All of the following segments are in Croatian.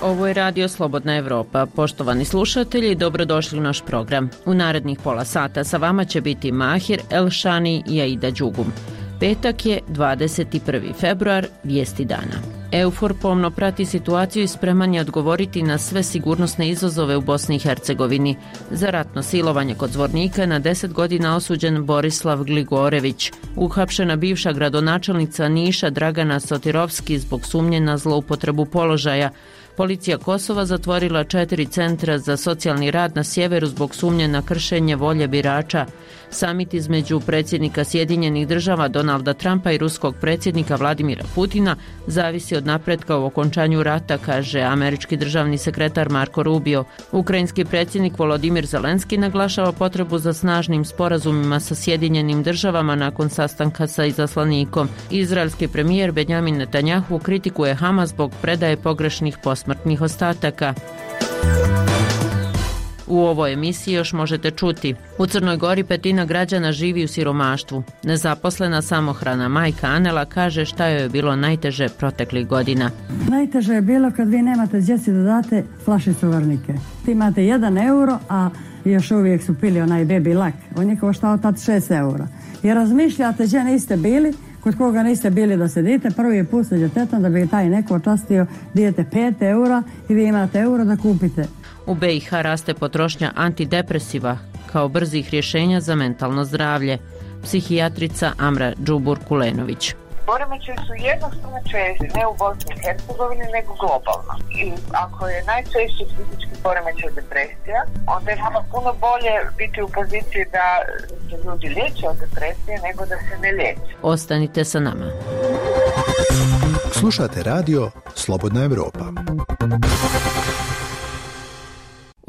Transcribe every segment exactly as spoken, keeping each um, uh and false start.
Ovo je Radio Slobodna Evropa. Poštovani slušatelji, dobrodošli u naš program. U narednih pola sata sa vama će biti Mahir Elšani i Aida Đugum. Petak je dvadeset prvi februar, vijesti dana. EUFOR pomno prati situaciju i spreman je odgovoriti na sve sigurnosne izazove u Bosni i Hercegovini. Za ratno silovanje kod Zvornika na deset godina osuđen Borislav Gligorević. Uhapšena bivša gradonačelnica Niša Dragana Sotirovski zbog sumnje na zloupotrebu položaja. Policija Kosova zatvorila četiri centra za socijalni rad na sjeveru zbog sumnje na kršenje volje birača. Samit između predsjednika Sjedinjenih država Donalda Trumpa i ruskog predsjednika Vladimira Putina zavisi od napretka u okončanju rata, kaže američki državni sekretar Marko Rubio. Ukrajinski predsjednik Volodimir Zelenski naglašava potrebu za snažnim sporazumima sa Sjedinjenim državama nakon sastanka sa izaslanikom. Izraelski premijer Benjamin Netanjahu kritikuje Hamas zbog predaje pogrešnih posmrtnih ostataka. U ovoj emisiji još možete čuti: u Crnoj Gori petina građana živi u siromaštvu. Nezaposlena samohrana majka Anela kaže šta joj je bilo najteže proteklih godina. Najteže je bilo kad vi nemate djeci da date flašicu varnike. Ti imate jedan euro, a još uvijek su pili onaj baby lak. On je koštao tad šest eura. I razmišljate gdje niste bili, kod koga niste bili da sedite, prvi put sa djetetom da bi taj neko častio, dijete pet eura i vi imate euro da kupite. U B i H raste potrošnja antidepresiva kao brzih rješenja za mentalno zdravlje. Psihijatrica Amra Džubur-Kulenović. Poremećaji su jednostavno česti, ne u Bosni i Hercegovini, nego globalno. I ako je najčešći fizički poremećaj depresija, onda je nama puno bolje biti u poziciji da se ljudi liječe od depresije nego da se ne liječe. Ostanite sa nama. Slušate radio Slobodna Evropa.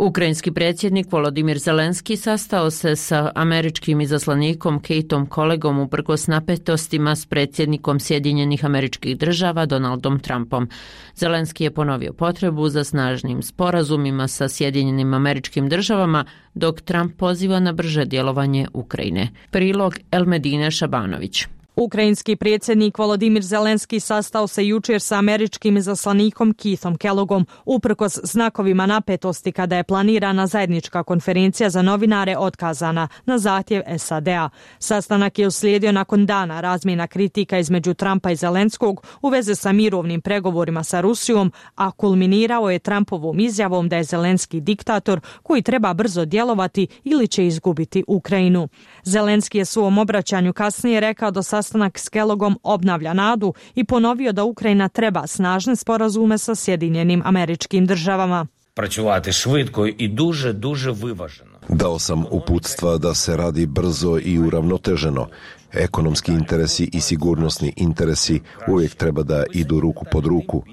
Ukrajinski predsjednik Volodimir Zelenski sastao se sa američkim izaslanikom Kateom Kolegom uprkos napetostima s predsjednikom Sjedinjenih Američkih Država Donaldom Trumpom. Zelenski je ponovio potrebu za snažnim sporazumima sa Sjedinjenim Američkim Državama, dok Trump poziva na brže djelovanje Ukrajine. Prilog Elmedine Šabanović. Ukrajinski predsjednik Volodimir Zelenski sastao se jučer sa američkim izaslanikom Keithom Kellogom uprkos znakovima napetosti kada je planirana zajednička konferencija za novinare otkazana na zahtjev S A D-a. Sastanak je uslijedio nakon dana razmjena kritika između Trumpa i Zelenskog u vezi sa mirovnim pregovorima sa Rusijom, a kulminirao je Trumpovom izjavom da je Zelenski diktator koji treba brzo djelovati ili će izgubiti Ukrajinu. Zelenski je svom obraćanju kasnije rekao da sastanak s Kellogom obnavlja nadu i ponovio da Ukrajina treba snažne sporazume sa Sjedinjenim Američkim Državama. Працювати швидко і дуже-дуже виважено. Dao sam uputstva da se radi brzo i uravnoteženo. Ekonomski interesi i sigurnosni interesi uvijek treba da idu ruku pod ruku.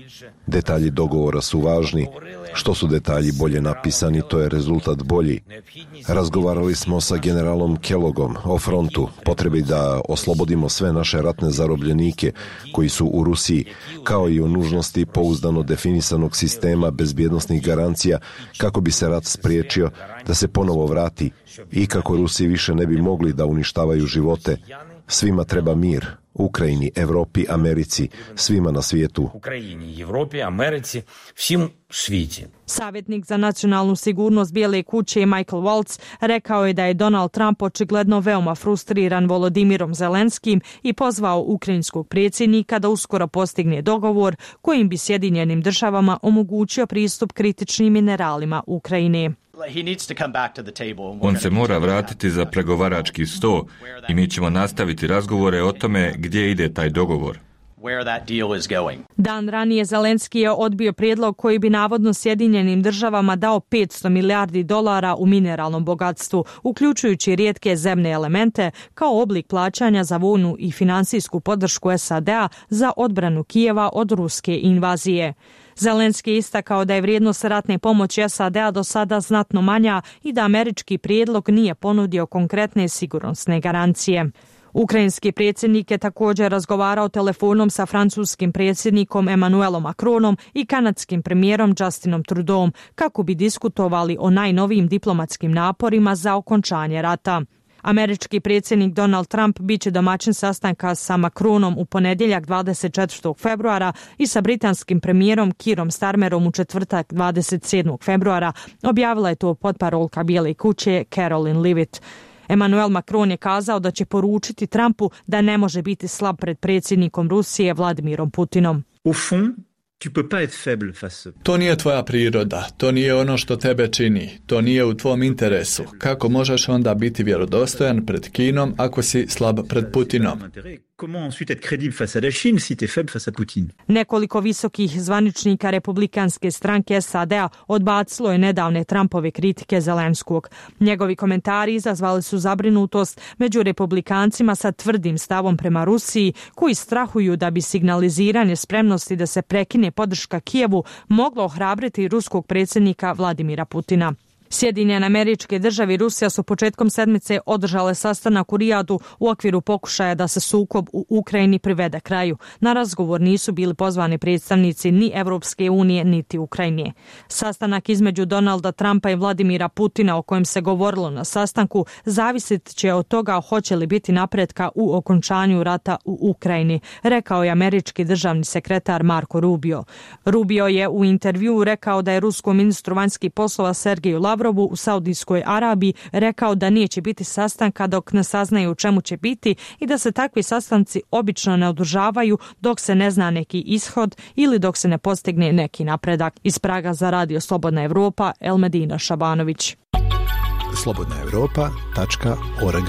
Detalji dogovora su važni. Što su detalji bolje napisani, to je rezultat bolji. Razgovarali smo sa generalom Kellogom o frontu, potrebi da oslobodimo sve naše ratne zarobljenike koji su u Rusiji, kao i o nužnosti pouzdano definisanog sistema bezbjednosnih garancija kako bi se rat spriječio da se ponovo vrati i kako Rusi više ne bi mogli da uništavaju živote. Svima treba mir. Ukrajini, Evropi, Americi, svima na svijetu. Ukrajini, Evropi, Americi, svim u svijetu. Savjetnik za nacionalnu sigurnost Bijele kuće Michael Waltz rekao je da je Donald Trump očigledno veoma frustriran Volodimirom Zelenskim i pozvao ukrajinskog predsjednika da uskoro postigne dogovor kojim bi Sjedinjenim državama omogućio pristup kritičnim mineralima Ukrajine. On se mora vratiti za pregovarački sto i mi ćemo nastaviti razgovore o tome gdje ide taj dogovor. Dan ranije Zelenski je odbio prijedlog koji bi navodno Sjedinjenim državama dao petsto milijardi dolara u mineralnom bogatstvu, uključujući rijetke zemne elemente, kao oblik plaćanja za vojnu i finansijsku podršku S A D-a za odbranu Kijeva od ruske invazije. Zelenski je istakao da je vrijednost ratne pomoći S A D-a do sada znatno manja i da američki prijedlog nije ponudio konkretne sigurnosne garancije. Ukrajinski predsjednik je također razgovarao telefonom sa francuskim predsjednikom Emmanuelom Macronom i kanadskim premijerom Justinom Trudeauom kako bi diskutovali o najnovijim diplomatskim naporima za okončanje rata. Američki predsjednik Donald Trump biće domaćin sastanka sa Macronom u ponedjeljak dvadeset četvrtog februara i sa britanskim premijerom Keerom Starmerom u četvrtak dvadeset sedmog februara, objavila je to potparolka Bijele kuće Caroline Leavitt. Emmanuel Macron je kazao da će poručiti Trumpu da ne može biti slab pred predsjednikom Rusije Vladimirom Putinom. Au fond, tu peux pas être faible face. To nije tvoja priroda, to nije ono što tebe čini, to nije u tvom interesu. Kako možeš onda biti vjerodostojan pred Kinom ako si slab pred Putinom? Comment ensuite être crédible face à la Chine si tu es faible face à Poutine? Nekoliko visokih zvaničnika republikanske stranke S A D-a odbacilo je nedavne Trumpove kritike Zelenskog. Njegovi komentari izazvali su zabrinutost među republikancima sa tvrdim stavom prema Rusiji, koji strahuju da bi signaliziranje spremnosti da se prekine podrška Kijevu moglo ohrabriti ruskog predsjednika Vladimira Putina. Sjedinjene Američke Države i Rusija su početkom sedmice održale sastanak u Rijadu u okviru pokušaja da se sukob u Ukrajini privede kraju. Na razgovor nisu bili pozvani predstavnici ni Evropske unije niti Ukrajine. Sastanak između Donalda Trumpa i Vladimira Putina, o kojem se govorilo na sastanku, zavisit će od toga hoće li biti napretka u okončanju rata u Ukrajini, rekao je američki državni sekretar Marco Rubio. Rubio je u intervjuu rekao da je ruskom ministru vanjskih poslova Sergeju Lavrovu u Saudijskoj Arabiji rekao da neće biti sastanka dok ne saznaju u čemu će biti i da se takvi sastanci obično ne održavaju dok se ne zna neki ishod ili dok se ne postigne neki napredak. Iz Praga za Radio Slobodna Evropa, Elmedina Šabanović. slobodna europa tačka org.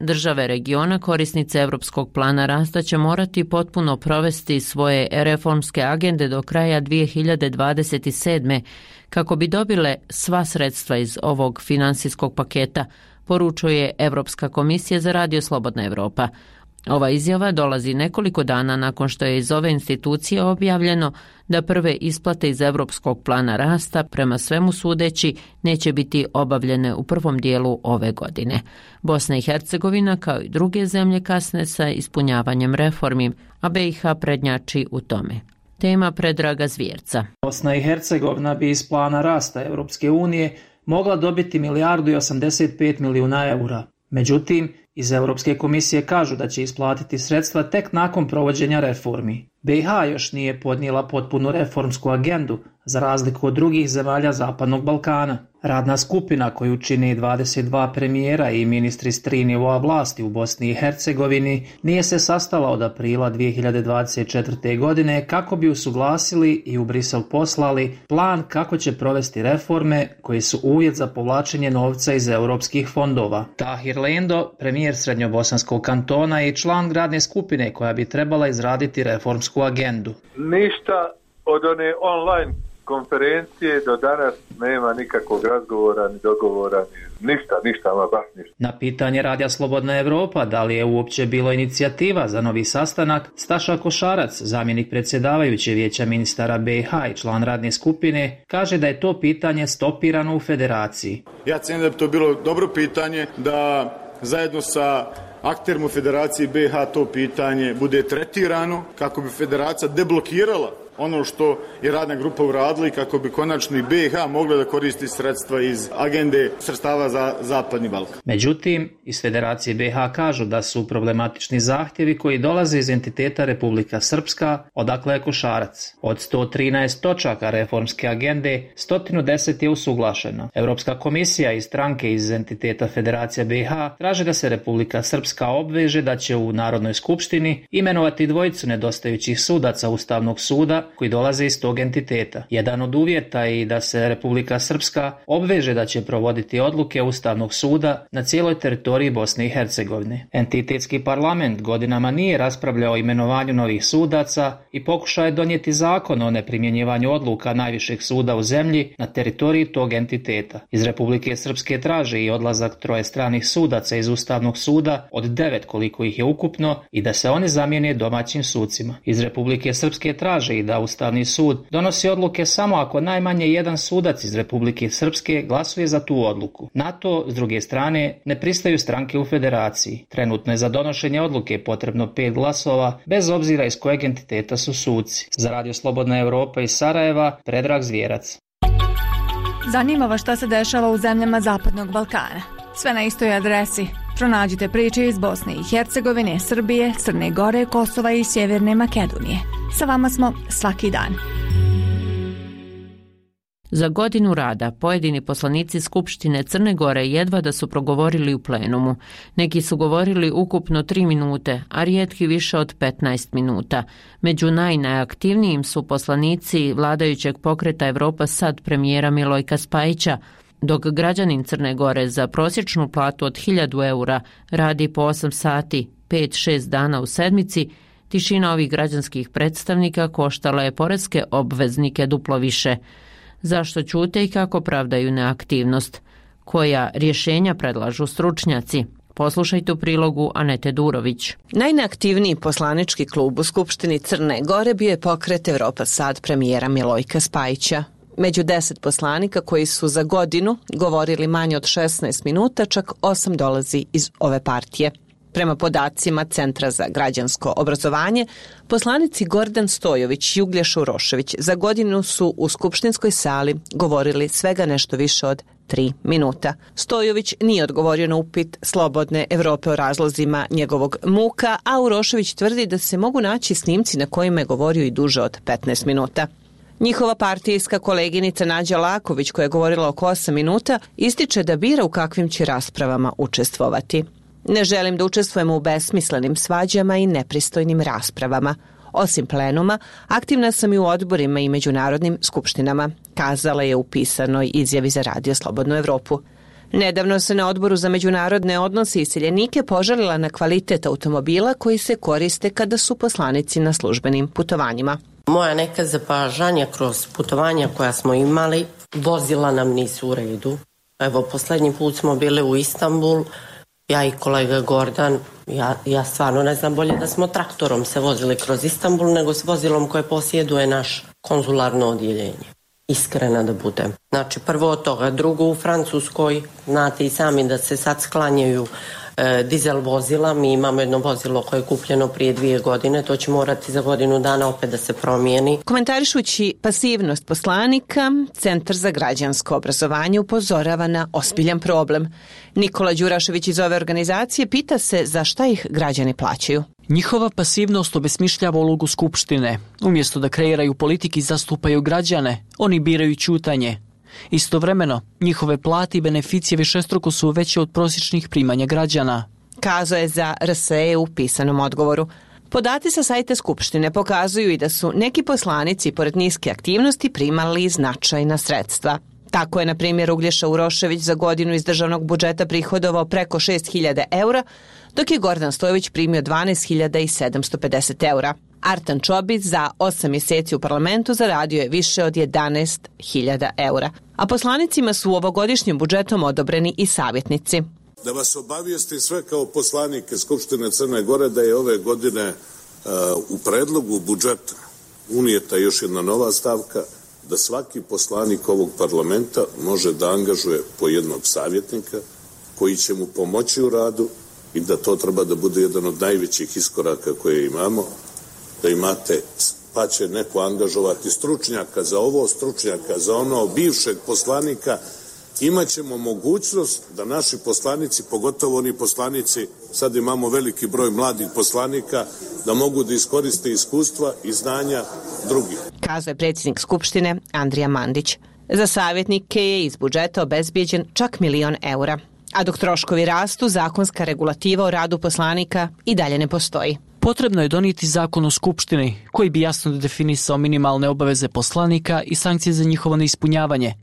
Države regiona korisnice Europskog plana rasta će morati potpuno provesti svoje reformske agende do kraja dvije hiljade dvadeset sedme kako bi dobile sva sredstva iz ovog finansijskog paketa, poručuje Europska komisija za Radio Slobodna Evropa. Ova izjava dolazi nekoliko dana nakon što je iz ove institucije objavljeno da prve isplate iz Europskog plana rasta, prema svemu sudeći, neće biti obavljene u prvom dijelu ove godine. Bosna i Hercegovina, kao i druge zemlje, kasne sa ispunjavanjem reformi, a B i H prednjači u tome. Tema Predraga Zvjerca. Bosna i Hercegovina bi iz plana rasta Europske unije mogla dobiti milijardu i osamdeset pet milijuna eura. Međutim, iz Europske komisije kažu da će isplatiti sredstva tek nakon provođenja reformi. B i H još nije podnijela potpunu reformsku agendu, za razliku od drugih zemalja Zapadnog Balkana. Radna skupina koju čini dvadeset dva premijera i ministri s tri nivoa vlasti u Bosni i Hercegovini nije se sastala od aprila dvije hiljade dvadeset četvrte. godine kako bi usuglasili i u Brisel poslali plan kako će provesti reforme koji su uvjet za povlačenje novca iz europskih fondova. Tahir Lendo, premijer Srednjobosanskog kantona i član radne skupine koja bi trebala izraditi reformsku agendu. Ništa od one online konferencije do danas nema nikakvog razgovora ni dogovora, ni ništa, ništa, ama baš ništa. Na pitanje Radija Slobodna Evropa da li je uopće bilo inicijativa za novi sastanak, Staša Košarac, zamjenik predsjedavajuće vijeća ministara B i H i član radne skupine, kaže da je to pitanje stopirano u federaciji. Ja cijenim da bi to bilo dobro pitanje da zajedno sa akterima u federaciji B i H to pitanje bude tretirano kako bi federacija deblokirala ono što je radna grupa uradila i kako bi konačno i B i H mogla da koristi sredstva iz agende sredstava za Zapadni Balkan. Međutim, iz Federacije B i H kažu da su problematični zahtjevi koji dolaze iz entiteta Republika Srpska, odakle je Košarac. Od sto trinaest točaka reformske agende, sto deset je usuglašeno. Europska komisija i stranke iz entiteta Federacija B i H traže da se Republika Srpska obveže da će u Narodnoj skupštini imenovati dvojicu nedostajućih sudaca Ustavnog suda koji dolaze iz tog entiteta. Jedan od uvjeta je i da se Republika Srpska obveže da će provoditi odluke Ustavnog suda na cijeloj teritoriji Bosne i Hercegovine. Entitetski parlament godinama nije raspravljao o imenovanju novih sudaca i pokušao je donijeti zakon o neprimjenjivanju odluka najvišeg suda u zemlji na teritoriji tog entiteta. Iz Republike Srpske traže i odlazak troje stranih sudaca iz Ustavnog suda, od devet koliko ih je ukupno, i da se oni zamijene domaćim sucima. Iz Republike Srpske traže i da Ustavni sud donosi odluke samo ako najmanje jedan sudac iz Republike Srpske glasuje za tu odluku. Na to, s druge strane, ne pristaju stranke u federaciji. Trenutno je za donošenje odluke potrebno pet glasova, bez obzira iz kojeg entiteta su suci. Za Radio Slobodna Evropa iz Sarajeva, Predrag Zvjerac. Zanima vas šta se dešava u zemljama Zapadnog Balkana. Sve na istoj adresi. Pronađite priče iz Bosne i Hercegovine, Srbije, Crne Gore, Kosova i Sjeverne Makedonije. Sa vama smo svaki dan. Za godinu rada pojedini poslanici Skupštine Crne Gore jedva da su progovorili u plenumu. Neki su govorili ukupno tri minute, a rijetki više od petnaest minuta. Među najnajaktivnijim su poslanici vladajućeg pokreta Evropa Sad premijera Milojka Spajića, dok građanin Crne Gore za prosječnu platu od hiljadu eura radi po osam sati, pet šest dana u sedmici, tišina ovih građanskih predstavnika koštala je poreske obveznike duplo više. Zašto ćute i kako pravdaju neaktivnost? Koja rješenja predlažu stručnjaci? Poslušajte u prilogu Anete Durović. Najneaktivniji poslanički klub u Skupštini Crne Gore bio je pokret Evropa Sad premijera Milojka Spajića. Među deset poslanika koji su za godinu govorili manje od šesnaest minuta, čak osam dolazi iz ove partije. Prema podacima Centra za građansko obrazovanje, poslanici Gordan Stojović i Uglješa Urošević za godinu su u skupštinskoj sali govorili svega nešto više od tri minuta. Stojović nije odgovorio na upit Slobodne Evrope o razlozima njegovog muka, a Urošević tvrdi da se mogu naći snimci na kojima je govorio i duže od petnaest minuta. Njihova partijska koleginica Nađa Laković, koja je govorila oko osam minuta, ističe da bira u kakvim će raspravama učestvovati. Ne želim da učestvujemo u besmislenim svađama i nepristojnim raspravama. Osim plenuma, aktivna sam i u odborima i međunarodnim skupštinama, kazala je u pisanoj izjavi za Radio Slobodnu Evropu. Nedavno se na odboru za međunarodne odnose i iseljenike požalila na kvalitet automobila koji se koriste kada su poslanici na službenim putovanjima. Moja neka zapažanja kroz putovanja koja smo imali, vozila nam nisu u redu. Evo, posljednji put smo bili u Istanbul, ja i kolega Gordan, ja, ja stvarno ne znam, bolje da smo traktorom se vozili kroz Istanbul nego s vozilom koje posjeduje naš konzularno odjeljenje. Iskrena da budem. Znači, prvo od toga, drugo u Francuskoj, znate i sami da se sad sklanjaju e, dizel vozila, mi imamo jedno vozilo koje je kupljeno prije dvije godine, to će morati za godinu dana opet da se promijeni. Komentarišući pasivnost poslanika, Centar za građansko obrazovanje upozorava na ozbiljan problem. Nikola Đurašević iz ove organizacije pita se za šta ih građani plaćaju. Njihova pasivnost obesmišljava ulogu Skupštine. Umjesto da kreiraju politike i zastupaju građane, oni biraju ćutanje. Istovremeno, njihove plate i beneficije višestruko su veće od prosječnih primanja građana. Kazao je za R S E u pisanom odgovoru. Podaci sa sajta Skupštine pokazuju i da su neki poslanici pored niske aktivnosti primali značajna sredstva. Tako je, na primjer, Uglješa Urošević za godinu iz državnog budžeta prihodovao preko šest hiljada eura, dok je Gordan Stojović primio dvanaest hiljada sedamsto pedeset eura. Artan Čobić za osam mjeseci u parlamentu zaradio je više od jedanaest hiljada eura. A poslanicima su u ovogodišnjem budžetom odobreni i savjetnici. Da vas obavijestim sve kao poslanike Skupštine Crne Gore da je ove godine uh, u predlogu budžeta unijeta još jedna nova stavka, da svaki poslanik ovog parlamenta može da angažuje po jednog savjetnika koji će mu pomoći u radu i da to treba da bude jedan od najvećih iskoraka koje imamo, da imate, pa će neko angažovati stručnjaka za ovo, stručnjaka za ono, bivšeg poslanika. Imaćemo mogućnost da naši poslanici, pogotovo oni poslanici, sad imamo veliki broj mladih poslanika, da mogu da iskoriste iskustva i znanja drugih. Kazao je predsjednik Skupštine Andrija Mandić. Za savjetnike je iz budžeta obezbijeđen čak milion eura. A dok troškovi rastu, zakonska regulativa o radu poslanika i dalje ne postoji. Potrebno je donijeti zakon o Skupštini koji bi jasno definisao minimalne obaveze poslanika i sankcije za njihovo neispunjavanje.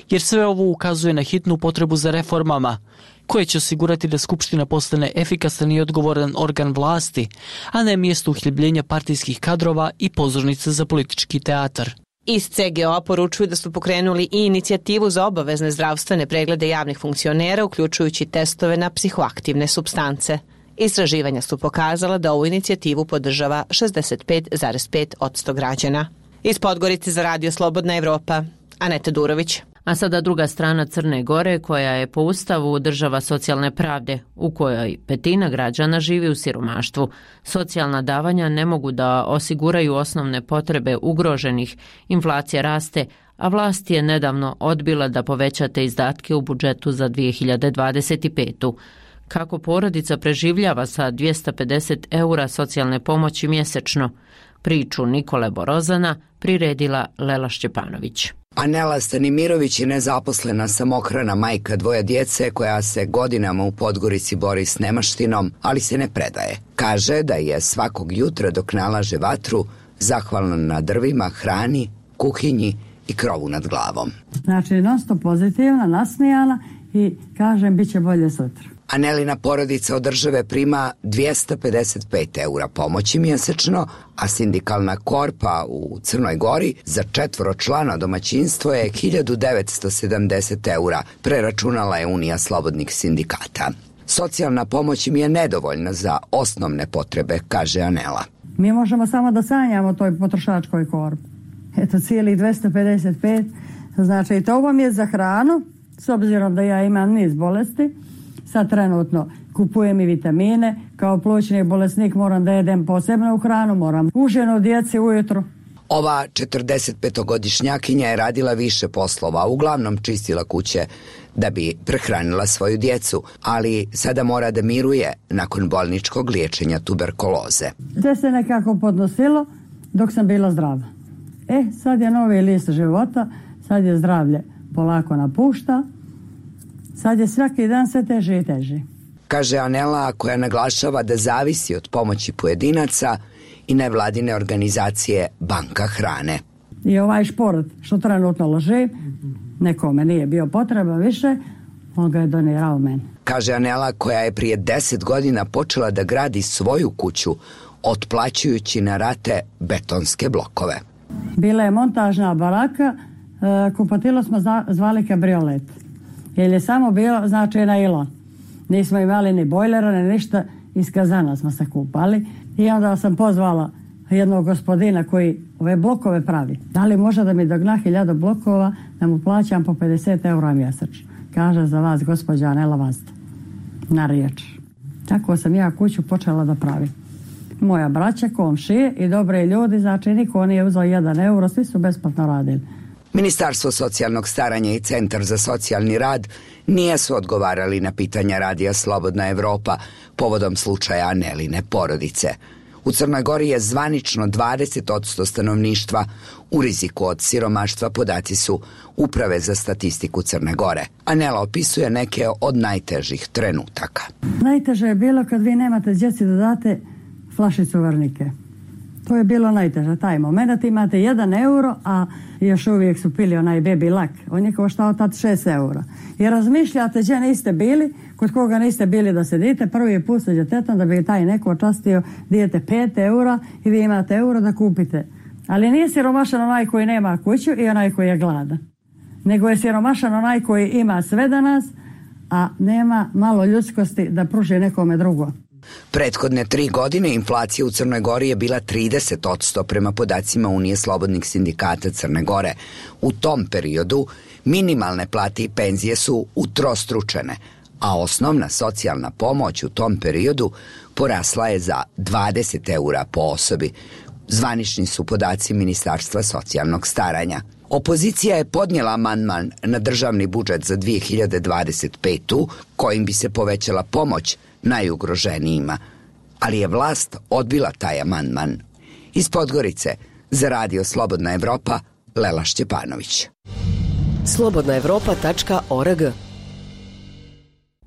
Jer sve ovo ukazuje na hitnu potrebu za reformama, koje će osigurati da Skupština postane efikasan i odgovoran organ vlasti, a ne mjesto uhljebljenja partijskih kadrova i pozornica za politički teatar. Iz C G O-a poručuju da su pokrenuli i inicijativu za obavezne zdravstvene preglede javnih funkcionera, uključujući testove na psihoaktivne supstance. Istraživanja su pokazala da ovu inicijativu podržava šezdeset pet zarez pet posto građana. Iz Podgorice za Radio Slobodna Evropa, Aneta Durović. A sada druga strana Crne Gore, koja je po ustavu država socijalne pravde, u kojoj petina građana živi u siromaštvu. Socijalna davanja ne mogu da osiguraju osnovne potrebe ugroženih, inflacija raste, a vlast je nedavno odbila da poveća te izdatke u budžetu za dvije hiljade dvadeset petu. Kako porodica preživljava sa dvjesto pedeset eura socijalne pomoći mjesečno? Priču Nikole Borozana priredila Lela Šćepanović. Anela Stanimirović je nezaposlena samohrana majka dvoje djece koja se godinama u Podgorici bori s nemaštinom, ali se ne predaje. Kaže da je svakog jutra dok nalaže vatru zahvalna na drvima, hrani, kuhinji i krovu nad glavom. Znači, non stop pozitivna, nasmijana i kažem bit će bolje sutra. Anelina porodica od države prima dvjesto pedeset pet eura pomoći mjesečno, a sindikalna korpa u Crnoj Gori za četvoročlano domaćinstvo je hiljadu devetsto sedamdeset eura, preračunala je Unija slobodnih sindikata. Socijalna pomoć im je nedovoljna za osnovne potrebe, kaže Anela. Mi možemo samo da sanjamo toj potrošačkoj korpi. Eto, cijelih dvjesto pedeset pet, znači to vam je za hranu, s obzirom da ja imam niz bolesti. Sad trenutno kupujem i vitamine, kao plućni bolesnik moram da jedem posebno u hranu, moram užinu djeci ujutro. Ova četrdesetpetogodišnjakinja je radila više poslova, uglavnom čistila kuće da bi prehranila svoju djecu, ali sada mora da miruje nakon bolničkog liječenja tuberkuloze. Sve se nekako podnosilo dok sam bila zdrava. E, sad je novi list života, sad je zdravlje polako napušta. Sad je svaki dan sve teže i teže. Kaže Anela, koja naglašava da zavisi od pomoći pojedinaca i nevladine organizacije Banka hrane. I ovaj šport što trenutno loži, nekome nije bio potreba više, on ga je donirao meni. Kaže Anela, koja je prije deset godina počela da gradi svoju kuću, otplaćujući na rate betonske blokove. Bila je montažna baraka, kupatilo smo zvali kabriolet. Jer je samo bio, znači, nailon. Nismo imali ni bojlera, ni ništa, iz kazana smo se kupali. I onda sam pozvala jednog gospodina koji ove blokove pravi. Da li može da mi dogna hiljadu blokova, da mu plaćam po pedeset eura mjesečno. Kaže, za vas, gospođa Anela Vazda. Na riječ. Tako sam ja kuću počela da pravim. Moja braća, komšije i dobre ljudi, znači niko nije uzao jedan euro, svi su besplatno radili. Ministarstvo socijalnog staranja i Centar za socijalni rad nisu odgovarali na pitanja radija Slobodna Evropa povodom slučaja Aneline porodice. U Crnoj Gori je zvanično dvadeset posto stanovništva u riziku od siromaštva, podaci su Uprave za statistiku Crne Gore. Anela opisuje neke od najtežih trenutaka. Najteže je bilo kad vi nemate djeci da date flašicu varnike. To je bilo najteže, taj moment. Imate jedan euro, a još uvijek su pili onaj baby lak. On je koštao tad šest eura. I razmišljate gdje niste bili, kod koga niste bili da sedite, prvi put sa djetetom da bi taj neko očastio, dijete pet eura i vi imate euro da kupite. Ali nije siromašan onaj koji nema kuću i onaj koji je gladan. Nego je siromašan onaj koji ima sve danas, a nema malo ljudskosti da pruži nekome drugo. Prethodne tri godine inflacija u Crnoj Gori je bila trideset posto prema podacima Unije slobodnih sindikata Crne Gore. U tom periodu minimalne plate i penzije su utrostručene, a osnovna socijalna pomoć u tom periodu porasla je za dvadeset eura po osobi. Zvanični su podaci Ministarstva socijalnog staranja. Opozicija je podnijela amandman na državni budžet za dvije hiljade dvadeset petu kojim bi se povećala pomoć najugroženijima, ali je vlast odbila taj amandman. Iz Podgorice za radio Slobodna Evropa, Lela Šćepanović. slobodna evropa tačka org.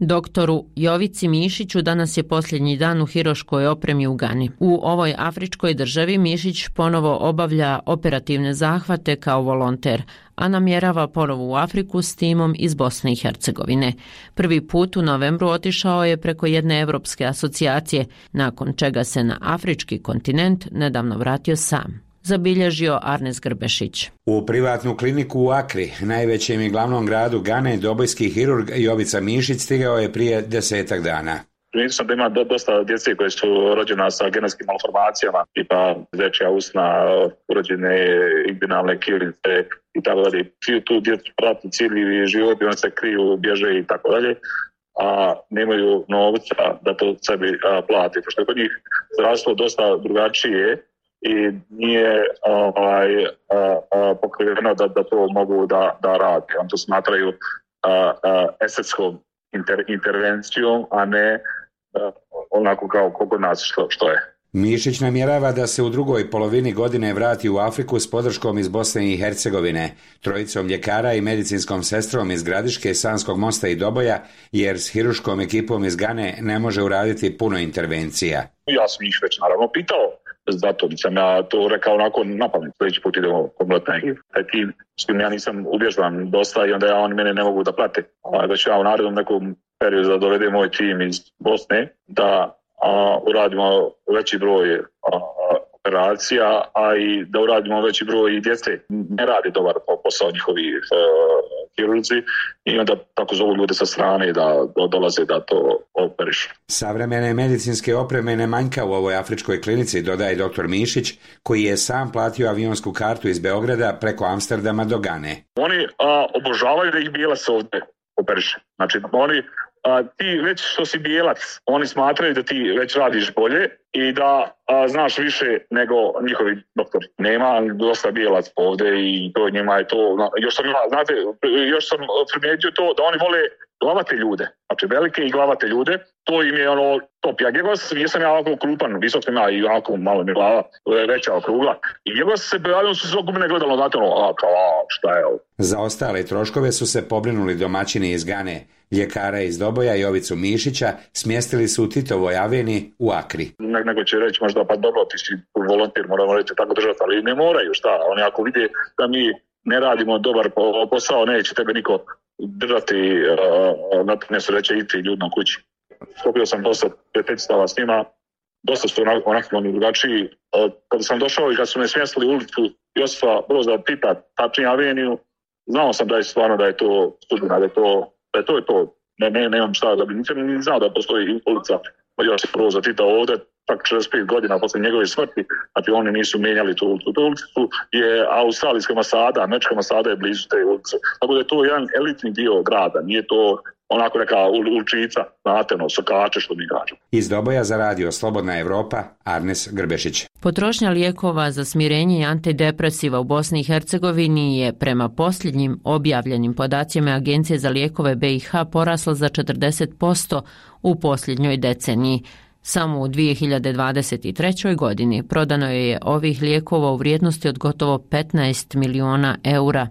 Doktoru Jovici Mišiću danas je posljednji dan u hiroškoj opremi u Gani. U ovoj afričkoj državi Mišić ponovo obavlja operativne zahvate kao volonter, a namjerava ponovo u Afriku s timom iz Bosne i Hercegovine. Prvi put u novembru otišao je preko jedne evropske asocijacije, nakon čega se na afrički kontinent nedavno vratio sam. Zabilježio Arnes Grbešić. U privatnu kliniku u Akri, najvećem i glavnom gradu Gane, dobojski hirurg Jovica Mišić stigao je prije desetak dana. Primijetio sam da ima dosta djece koje su rođena sa genetskim malformacijama, tipa dečja usna, urođene inguinalne kilice i tako dalje. Svi tu djecu prati cijeli život i oni se kriju, bježe i tako dalje, a nemaju novca da to sebi plati. Pošto je kod njih zdravstvo dosta drugačije i nije ovaj, pokriveno da, da to mogu da, da rade. Oni to smatraju a, a, estetskom inter, intervencijom, a ne a, onako kao kod nas što, što je. Mišić namjerava da se u drugoj polovini godine vrati u Afriku s podrškom iz Bosne i Hercegovine, trojicom ljekara i medicinskom sestrom iz Gradiške, Sanskog Mosta i Doboja, jer s hiruškom ekipom iz Gane ne može uraditi puno intervencija. Ja sam ih već naravno pitao, zato sam ja to rekao onako napamet, sljedeći put idemo kompletno taj tim, s kim ja nisam uvježban dosta i onda ja oni mene ne mogu da prate. Da ću ja u narednom nekom periodu da dovedem moj tim iz Bosne, da a, uradimo veći broj a, operacija, a i da uradimo veći broj i djece. Ne radi dobar posao njihovi hirurzi i onda tako zovu ljude sa strane da, da dolaze da to operišu. Savremene medicinske opreme ne manjka u ovoj afričkoj klinici, dodaje doktor Mišić, koji je sam platio avionsku kartu iz Beograda preko Amsterdama do Gane. Oni a, obožavaju da ih bijelac ovdje operiše. Znači, oni A, ti već što si bijelac, oni smatraju da ti već radiš bolje i da a, znaš više nego njihovi doktori. Nema dosta bijelac ovdje i to njima je to, još sam, znate, još sam primijetio to da oni vole glavate ljude, znači velike i glavate ljude, to im je ono top. Ja Gegos, nisam ja ovako krupan, visok sam ja i ovako malo mi glava veća okrugla. I Gegos se pojavio, su se oko mene gledalo, znate ono, a kao, a, šta je ovo? Za ostale troškove su se pobrinuli domaćini iz Gane. Ljekara iz Doboja Jovicu Mišića smjestili su u Titovoj aveni u Akri. Ne, nego će reći možda pa dobro ti si volontir, moramo reći tako držati, ali ne moraju, šta? Oni ako vide da mi ne radimo dobar posao, neće tebe niko držati, uh, na ne su reće iti ljudno kući. Skopio sam dosta prijateljstava s njima, dosta su onako, onako oni drugačiji. Uh, kada sam došao i kad su me smjestili u ulicu Josipa Broza Tita, tačnije aveniju, znao sam da je stvarno da je to sudbina, da je to Da je to je to, ne, ne, nemam šta da bi, nisam ni znao da postoji ulica Josipa Broza Tita ovdje, tak četrdeset pet godina posle njegove smrti, znači oni nisu mijenjali tu ulicu. Tu ulicu je australijska ambasada, američka ambasada je blizu te ulice, tako da je to jedan elitni dio grada, nije to onako neka ulčica, znate, no, sokače što mi kažemo. Iz Doboja za radio Slobodna Evropa, Arnes Grbešić. Potrošnja lijekova za smirenje i antidepresiva u Bosni i Hercegovini je prema posljednjim objavljenim podacima Agencije za lijekove B i H porasla za četrdeset posto u posljednjoj deceniji. Samo u dvije hiljade dvadeset trećoj. godini prodano je ovih lijekova u vrijednosti od gotovo petnaest miliona eura.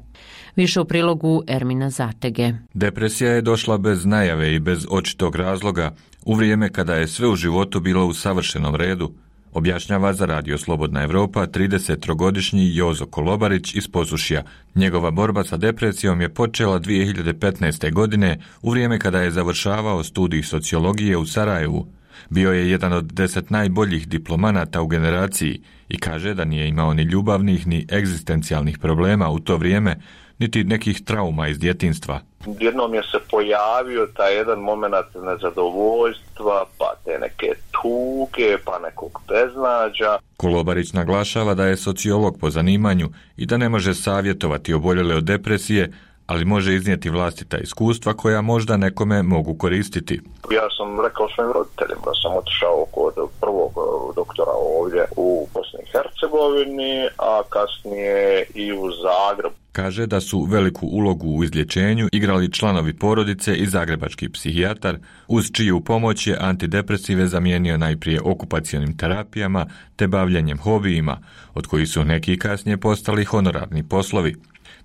Više u prilogu Ermina Zatege. Depresija je došla bez najave i bez očitog razloga u vrijeme kada je sve u životu bilo u savršenom redu, objašnjava za radio Slobodna Evropa tridesettrogodišnji Jozo Kolobarić iz Posušja. Njegova borba sa depresijom je počela dvije hiljade petnaeste. godine u vrijeme kada je završavao studij sociologije u Sarajevu. Bio je jedan od deset najboljih diplomanata u generaciji i kaže da nije imao ni ljubavnih ni egzistencijalnih problema u to vrijeme, niti nekih trauma iz djetinjstva. Jednom je se pojavio taj jedan moment nezadovoljstva, pa te neke tuge, pa nekog beznađa. Kolobarić naglašava da je sociolog po zanimanju i da ne može savjetovati oboljele od depresije, ali može iznijeti vlastita iskustva koja možda nekome mogu koristiti. Ja sam rekao svojim roditeljima da sam otišao kod prvog doktora ovdje u Bosni i Hercegovini, a kasnije i u Zagrebu. Kaže da su veliku ulogu u izlječenju igrali članovi porodice i zagrebački psihijatar, uz čiju pomoć je antidepresive zamijenio najprije okupacionim terapijama te bavljenjem hobijima, od kojih su neki kasnije postali honorarni poslovi.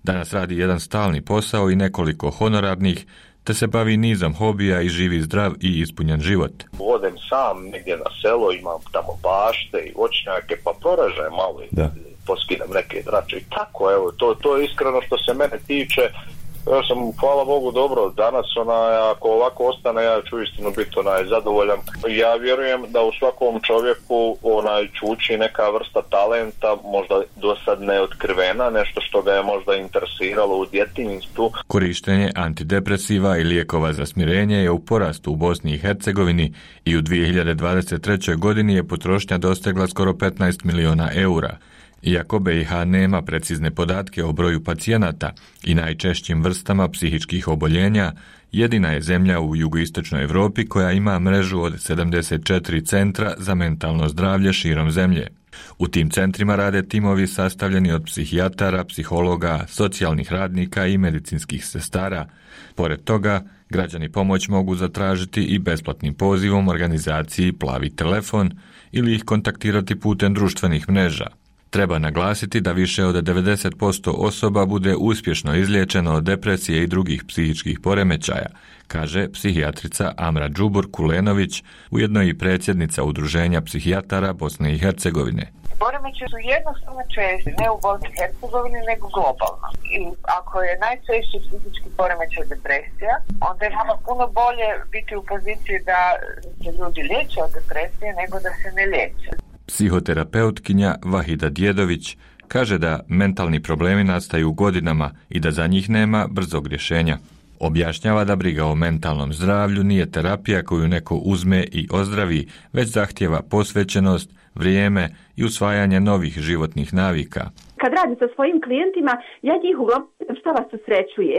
Danas radi jedan stalni posao i nekoliko honorarnih, te se bavi nizom hobija i živi zdrav i ispunjen život. Odem sam negdje na selo, imam tamo bašte i voćnjake, pa proražem malo i poskidam neke drače i tako, evo, to, to je iskreno što se mene tiče. Ja sam, hvala Bogu, dobro, danas onaj, ako ovako ostane, ja ću istinu biti onaj zadovoljan. Ja vjerujem da u svakom čovjeku onaj čuči neka vrsta talenta, možda do sad neotkrivena, nešto što ga je možda interesiralo u djetinjstvu. Korištenje antidepresiva i lijekova za smirenje je u porastu u Bosni i Hercegovini i u dvije hiljade dvadeset trećoj. godini je potrošnja dostegla skoro petnaest miliona eura. Iako B i H nema precizne podatke o broju pacijenata i najčešćim vrstama psihičkih oboljenja, jedina je zemlja u jugoistočnoj Europi koja ima mrežu od sedamdeset četiri centra za mentalno zdravlje širom zemlje. U tim centrima rade timovi sastavljeni od psihijatara, psihologa, socijalnih radnika i medicinskih sestara. Pored toga, građani pomoć mogu zatražiti i besplatnim pozivom organizaciji Plavi telefon ili ih kontaktirati putem društvenih mreža. Treba naglasiti da više od devedeset posto osoba bude uspješno izliječeno od depresije i drugih psihičkih poremećaja, kaže psihijatrica Amra Džubur Kulenović, ujedno i predsjednica Udruženja psihijatara Bosne i Hercegovine. Poremećaji su jednostavno česti, ne u Bosni i Hercegovini, nego globalno. I ako je najčešći psihički poremećaj depresija, onda je nama puno bolje biti u poziciji da se ljudi liječe od depresije nego da se ne liječe. Psihoterapeutkinja Vahida Djedović kaže da mentalni problemi nastaju godinama i da za njih nema brzog rješenja. Objašnjava da briga o mentalnom zdravlju nije terapija koju neko uzme i ozdravi, već zahtjeva posvećenost, vrijeme i usvajanje novih životnih navika. Kad radim sa svojim klijentima, ja njih uglavnom šta vas usrećuje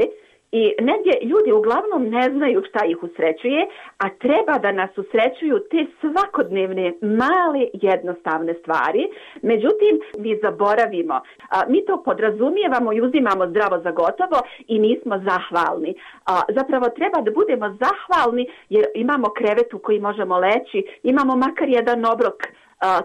i negdje ljudi uglavnom ne znaju šta ih usrećuje, a treba da nas usrećuju te svakodnevne, male, jednostavne stvari. Međutim, mi zaboravimo. A, mi to podrazumijevamo i uzimamo zdravo za gotovo i nismo zahvalni. A, zapravo treba da budemo zahvalni jer imamo krevet u koji možemo leći, imamo makar jedan obrok a,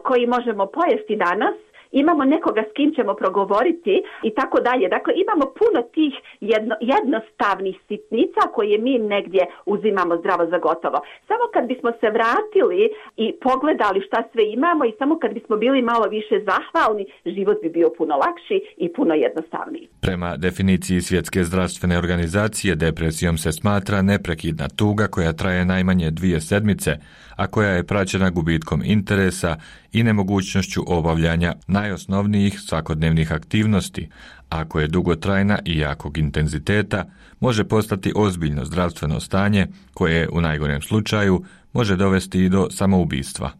koji možemo pojesti danas, imamo nekoga s kim ćemo progovoriti i tako dalje. Dakle, imamo puno tih jedno, jednostavnih sitnica koje mi negdje uzimamo zdravo za gotovo. Samo kad bismo se vratili i pogledali šta sve imamo i samo kad bismo bili malo više zahvalni, život bi bio puno lakši i puno jednostavniji. Prema definiciji Svjetske zdravstvene organizacije, depresijom se smatra neprekidna tuga koja traje najmanje dvije sedmice, a koja je praćena gubitkom interesa i nemogućnošću obavljanja najosnovnijih svakodnevnih aktivnosti. Ako je dugotrajna i jakog intenziteta, može postati ozbiljno zdravstveno stanje koje u najgorem slučaju može dovesti i do samoubistva.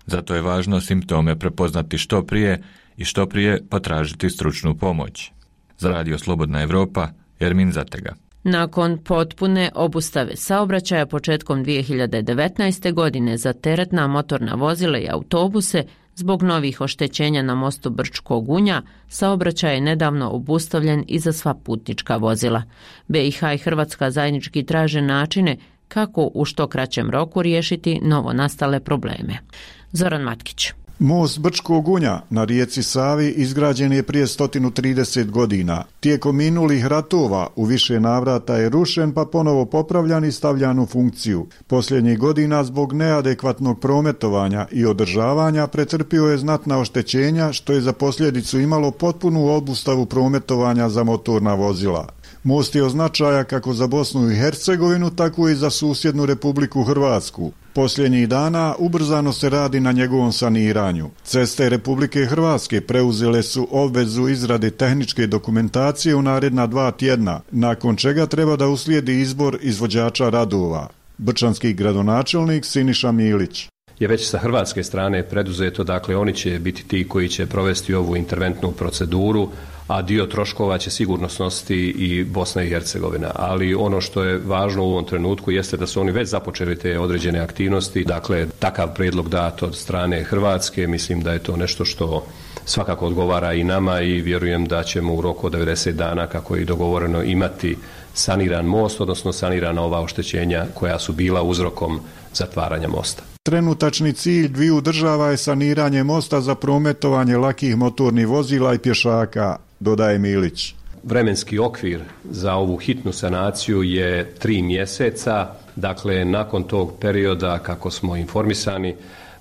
Zato je važno simptome prepoznati što prije i što prije potražiti stručnu pomoć. Za Radio Slobodna Evropa, Ermin Zatega. Nakon potpune obustave saobraćaja početkom dvije hiljade devetnaeste. godine za teretna motorna vozila i autobuse, zbog novih oštećenja na mostu Brčko Gunja, saobraćaj je nedavno obustavljen i za sva putnička vozila. B i H i Hrvatska zajednički traže načine kako u što kraćem roku riješiti novo nastale probleme. Zoran Matkić. Most Brčkog Gunja na rijeci Savi izgrađen je prije sto trideset godina. Tijekom minulih ratova u više navrata je rušen pa ponovo popravljan i stavljan u funkciju. Posljednjih godina zbog neadekvatnog prometovanja i održavanja pretrpio je znatna oštećenja što je za posljedicu imalo potpunu obustavu prometovanja za motorna vozila. Most je od značaja kako za Bosnu i Hercegovinu, tako i za susjednu Republiku Hrvatsku. Posljednjih dana ubrzano se radi na njegovom saniranju. Ceste Republike Hrvatske preuzele su obvezu izrade tehničke dokumentacije u naredna dva tjedna, nakon čega treba da uslijedi izbor izvođača radova. Brčanski gradonačelnik Siniša Milić. Je već sa hrvatske strane preduzeto, dakle oni će biti ti koji će provesti ovu interventnu proceduru, a dio troškova će sigurno snositi i Bosna i Hercegovina. Ali ono što je važno u ovom trenutku jeste da su oni već započeli te određene aktivnosti. Dakle, takav prijedlog dat od strane Hrvatske, mislim da je to nešto što svakako odgovara i nama i vjerujem da ćemo u roku od devedeset dana, kako je i dogovoreno, imati saniran most, odnosno sanirana ova oštećenja koja su bila uzrokom zatvaranja mosta. Trenutačni cilj dviju država je saniranje mosta za prometovanje lakih motornih vozila i pješaka, dodaje Milić. Vremenski okvir za ovu hitnu sanaciju je tri mjeseca, dakle nakon tog perioda, kako smo informisani,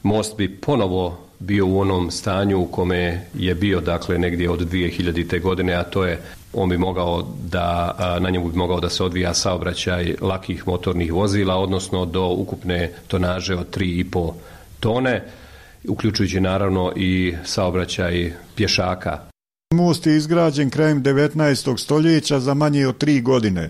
most bi ponovo bio u onom stanju u kome je bio, dakle negdje od dvije hiljadite. godine, a to je on bi mogao da, na njemu bi mogao da se odvija saobraćaj lakih motornih vozila, odnosno do ukupne tonaže od tri i pol tone, uključujući naravno i saobraćaj pješaka. Most je izgrađen krajem devetnaestog stoljeća za manje od tri godine.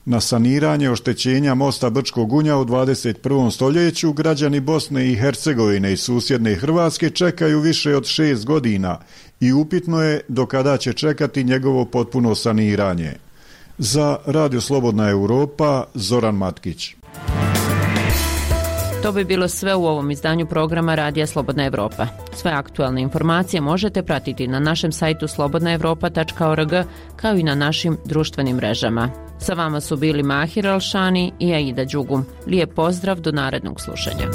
Na saniranje oštećenja mosta Brčko Gunja u dvadeset prvom stoljeću građani Bosne i Hercegovine i susjedne Hrvatske čekaju više od šest godina i upitno je do kada će čekati njegovo potpuno saniranje. Za Radio Slobodna Europa, Zoran Matkić. To bi bilo sve u ovom izdanju programa Radija Slobodna Evropa. Sve aktualne informacije možete pratiti na našem sajtu slobodna evropa tačka org kao i na našim društvenim mrežama. Sa vama su bili Mahir Alšani i Aida Đugum. Lijep pozdrav do narednog slušanja.